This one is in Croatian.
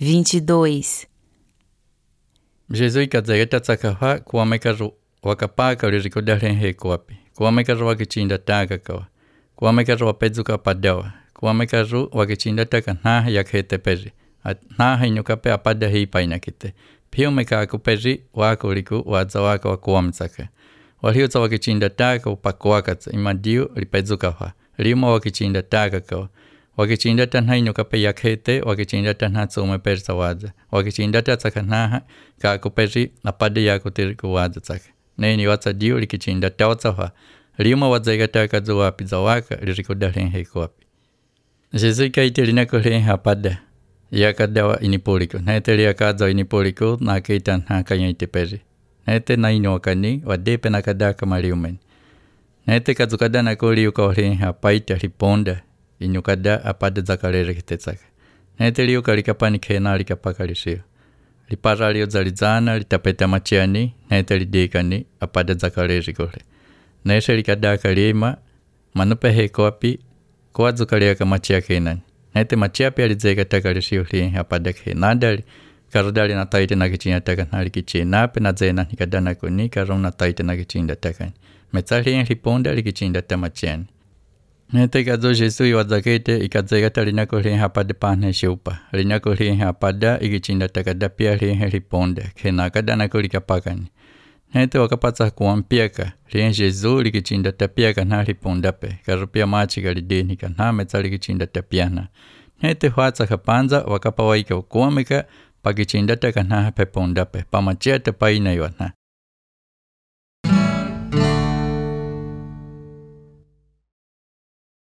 22. Jesus ikazegeta tsakaha kuamekaru wakapaka ulirikodahen hekuapi. Kuamekaru wakichinda taka kawa. Kuamekaru wapezuka padawa. Kuamekaru wakichinda taka naha yakhete peri. Naha inyukape apada hii painakite. Pio mekaku peri wakuliku waza waka wakuamtsaka. Walhiuza wakichinda taka upakuakatsa imadiu lipezukaha. Liuma wakichinda taka kawa. Wakichinda tanha inyukape yakhete, wakichinda tanha tsume persa waza. Wakichinda tatsakanaha kakuperi apade yakutiriku waza tsaka. Neni watsa diu likichinda tawatsaha. Liuma wadzega taka zuwapi zawaka lirikudahen hekuapi. Jesus ikaite linakuhen hapada. Yakadawa inipuliku. Nete liakaza inipuliku na keitan ha kanyaite peri. Nete na inuakani wadepe nakadaka mariumen. Nete kazukada nakuli ukahen hapaita riponda. Inyukada apada zakalere kitetsaka. Nete liu kalikapani kena likapaka lisio. Lipara liu zalizana litapeta machiani. Nete lidekani apada zakalere kore. Nete likadaka lima manupe hekoapi kwa zukaliaka machia kenani. Nete machia pia lizeka taka lisio liye apada kenadali. Karudali na taite na kichinda taka na likichi nape na zena nikadana kuni karong na taite na kichinda taka. Metsali liponda likichinda tamachiani. Nete kazo Jesu iwadzakete ikadzegata linakuhen hapada panhe shupa. Linakuhen hapada ikichinda takada pia lihe liponda. Kena kadana kulikapakani. Nete wakapatsa kuampiaka. Lihe Jesu likichinda tapiaka na lipondape. Karupia machika lidenika na metsa likichinda tapiana. Nete huatsa kapanza wakapawaika ukuamika pakichinda taka na pepondape. Pamachia tapaina iwana.